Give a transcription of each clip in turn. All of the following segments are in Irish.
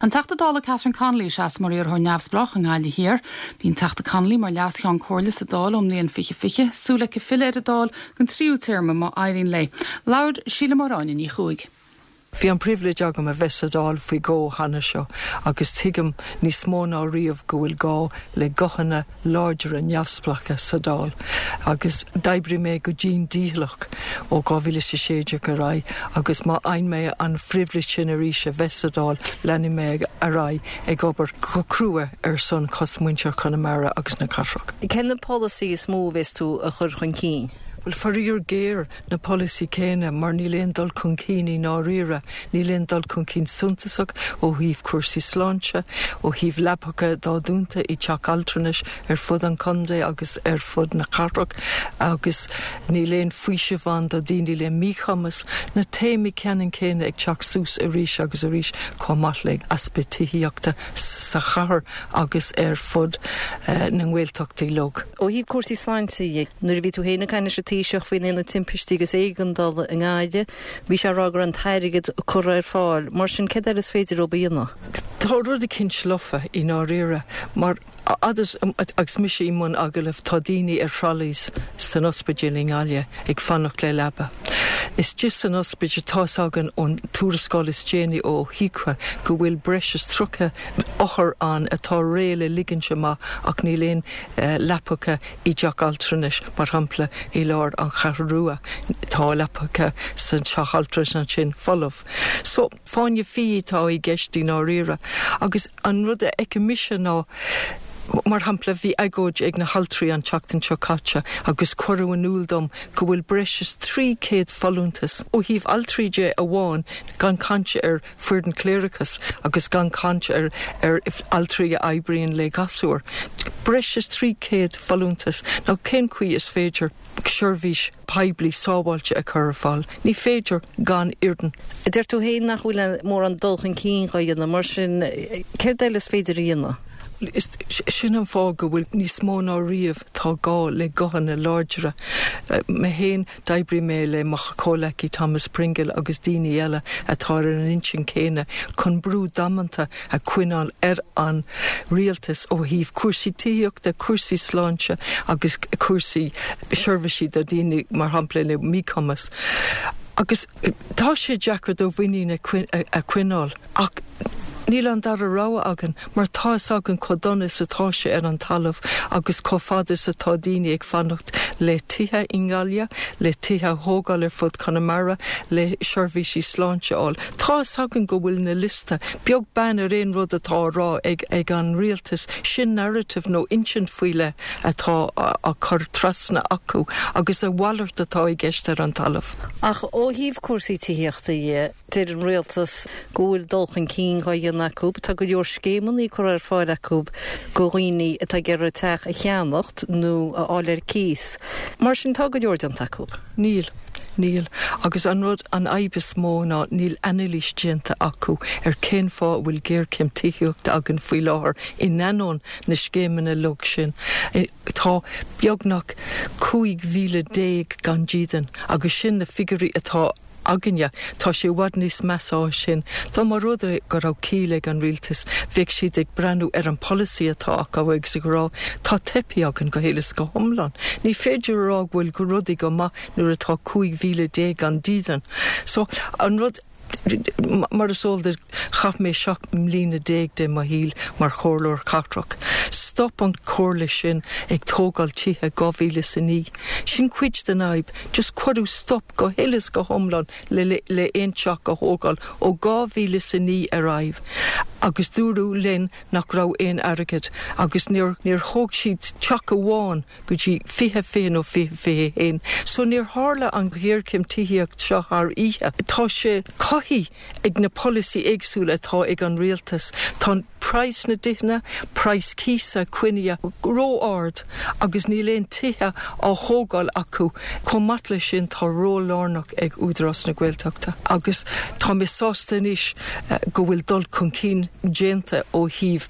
An Teachta Dála Catherine Connolly a sheas mar iarrthóir neamhspleách i nGaillimh Thiar. Bhí an Teachta Connolly mar Leas-Cheann Comhairle sa Dáil ón mbliain 2020, súil aici filleadh ar an Dáil don tríú téarma má éiríonn léi. Labhair sí le Máire Áine Ní Chuaig. Bhí an pribhléid agam a bheith sa Dáil faoi dhó cheana seo agus tuigim níos mó ná riamh go bhfuil gá le guthanna láidre neamhspleácha sa Dáil agus d'oibrigh mé go dian dícheallach ó 2016 ar aghaidh agus má fhaigheann mé an phribhléid sin arís a bheith sa Dáil leanfaidh mé ar aghaidh ag obair go crua ar son chosmhuintir Chonamara agus na cathrach. Cé na polasaí is mó a bheas tú a chur chun cinn? Bhuel, faraor géar, na polasaí céanna mar níl aon dul chun cinn i ndáiríre, níl aon dul chun cinn suntasach ó thaobh cúrsaí sláinte, ó thaobh leapacha atá dúnta i dteach altranais ar fud an chontae agus ar fud na cathrach agus níl aon faoiseamh ann do daoine le míchumas. Na téamaí ceannann céanna ag teacht suas arís agus arís chomh maith le easpa tithíochta sa chathair agus ar fud na nGaeltachtaí uilig. Ó thaobh cúrsaí sláinte dhe, nuair a bhí tú féin ag caint leis an Taoiseach faoin Aonad Timpistí agus Éigeandála i nGaillimh, bhí sé ag rá go raibh an t-airgead curtha ar fáil. Mar sin, céard eile is féidir leo a dhéanamh? Tá rud eicínt lofa i ndáiríre, mar fhad is agus mise i mbun agallaimh, tá daoine ar trolleys san ospidéal i nGaillimh ag fanacht le leaba. Istigh san ospidéal, tá's againn ón tuarascáil is déanaí ó HIQA go bhfuil breis is 30 othar ann atá réidh le ligint amach ach níl aon leapacha i dteach altranais, mar shampla, i lár an Cheathrú Rua. Tá leapacha sa teach altranais ansin folamh. So, fáinne fí atá i gceist i ndáiríre. Agus an rud a fheicim mise ná, mar shampla, bhí agóid ag na haltraí an tseachtain seo caite agus cuireadh in iúl dom go bhfuil breis is 300 folúntas, ó thaobh altraí de amháin, gan caint ar foireann cléireachais agus gan caint ar ar altraí a oibríonn le gasúir. Breis is 300 folúntas. Now cén chaoi is féidir seirbhís poiblí sábháilte a chur ar fáil? Ní féidir gan fhoireann. Deir tú féin nach bhfuil mórán dul chun cinn dhá dhéanamh, mar sin céard eile is féidir a dhéanamh? Sin an fáth go bhfuil níos mó ná riamh tá gá le guthanna láidre. Mé féin, D'oibrigh mé le mo chomhleacaí Thomas Pringle agus daoine eile atá ar an intinn céanna chun brú damanta a choinneáil ar an rialtas ó thaobh cúrsaí tithíochta, cúrsaí sláinte agus cúrsaí seirbhísí do dhaoine mar shampla le míchumas. Agus tá sé deacair do mhuinín a choinneáil. Ach níl an dara rogha againn mar tá fhios againn chomh dona is atá sé ar an talamh agus chomh fada is atá daoine ag fanacht le tithe i nGaillimh, le tithe a thógáil ar fud Chonamara, le seirbhísí sláinte a fháil. Tá fhios againn go bhfuil na liosta, beag beann ar aon rud atá á rá ag an rialtas, sin narrative nó insint faoi leith atá á cur trasna acu agus a mhalairt atá i gceist ar an talamh. Ach ó thaobh cúrsaí tithíochta dhe, Deir an Rialtas go bhfuil dul chun cinn dhá dhéanamh acu. Tá go leor scéimeanna curtha ar fáil acu go dhaoine atá ag iarraidh teach a cheannacht nó a fháil ar cíos. Mar sin tá go leor déanta acu. Níl. Níl. Agus an rud, an fhadhb is mó ná níl anailís déanta acu ar cén fáth a bhfuil géarchéim tithíochta againn faoi láthair in ainneoin na scéimeanna uilig sin. Tá beagnach 15,000 gan dídean agus sin na figiúirí atá againne. Tá sé i bhfad níos measa ná sin. Dá mba rud é go raibh ciall ag an rialtas, bheadh siad ag breathnú ar an polasaí atá acu agus ag rá, tá teipthe againn go huile is go hiomlán. Ní féidir a rá go bhfuil rudaí go maith nuair atá 15,000 gan dídean. So, an rud, mar is eol duit, chaith mé 17 mbliana de mo shaol mar chomhairleoir cathrach. Stop an chomhairle sin ag tógáil tithe 2009. Sin cuid den fhadhb. Just cuireadh stop go huile is go hiomlán le le aon teach a thógáil ó 2009 ar aghaidh agus dúradh linn nach raibh aon airgead agus níor níor thóg siad teach amháin go dtí 2020 nó 2021 so níor tharla an ghéarchéim tithíocht seo thar oíche. Tá sé cothaithe ag na polasaí éagsúla atá ag an rialtas. Tá praghas na dtithe, praghas cíosa coinnithe ró-ard agus níl aon tithe á thógáil acu. Chomh maith leis sin tá ról lárnach ag Údarás na Gaeltachta agus tá mé sásta anois go bhfuil dul chun cinn déanta ó thaobh.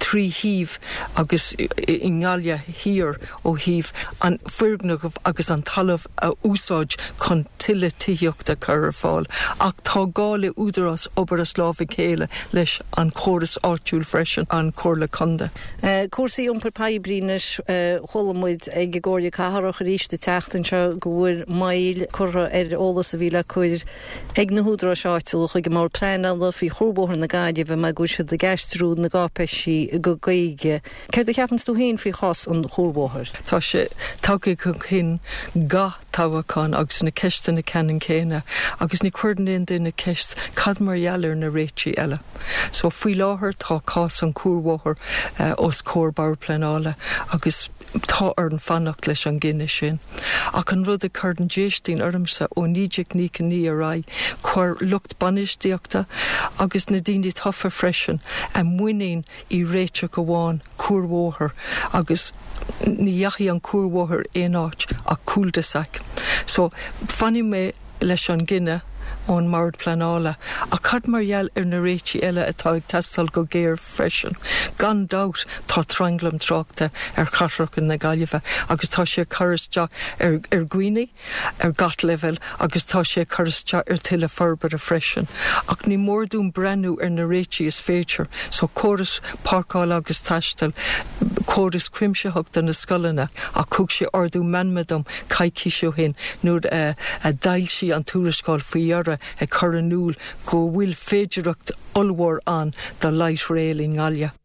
3 thaobh agus i nGaillimh Thiar ó thaobh an foirgneamh agus an talamh a úsáid chun tuilleadh tithíochta a chur ar fáil ach tá gá le údarás obair as lámh a chéile leis an chóras áitiúil freisin, an Chomhairle Contae. Cúrsaí iompair poiblí anois, chuala muid ag an gComhairle Cathrach arís an tseachtain seo go bhfuil moill curtha ar eolas a bhí le cur ag na húdaráis áitiúla chuig an mBord Pleanála faoi Chuarbhóthar na Gaillimhe mar go bhfuil siad ag aistriú na gcáipéisí go Gaeilge. Céard a cheapanns tú féin faoi chás an chuarbhóthair? Tá sé tagtha chun cinn gach toghachán agus na ceisteanna ceannann céanna agus ní chuireann aon duine ceist cad mar gheall ar na réitigh eile. So faoi láthair tá cás an chuarbhóthair os comhair Bord Pleanála agus tá orainn fanacht leis an gcinneadh sin. Ach an rud a chuireann déistín ormsa ó 1999 ar aghaidh, chuir lucht bainistíochta agus na daoine tofa freisin a muinín i réiteach amháin, cuarbhóthar, agus ní dheachaigh an cuarbhóthar aon áit ach cul-de-sac. So, fanfaidh mé leis an gcinneadh ón mBord Pleanála. Ach cad mar gheall ar na réitigh eile atá ag teastáil go géar freisin? Gan dabht tá tranglam tráchta ar chathracha na Gaillimhe agus tá sé ag cur isteach ar dhaoine, ar gach leibhéal agus tá sé ag cur isteach ar tuilleadh forbartha freisin. Ach ní mór dúinn breathnú ar na réitigh is féidir, so córas páirceála agus taistil, córas cuimsitheach do na scoileanna ach thug sé ardú meanma dom coicís ó shin nuair a d'fhoilsigh an tuarascáil faoi dheireadh ag cur in iúl go bhfuil féidearthacht ollmhór ann do light rail i nGaillimh.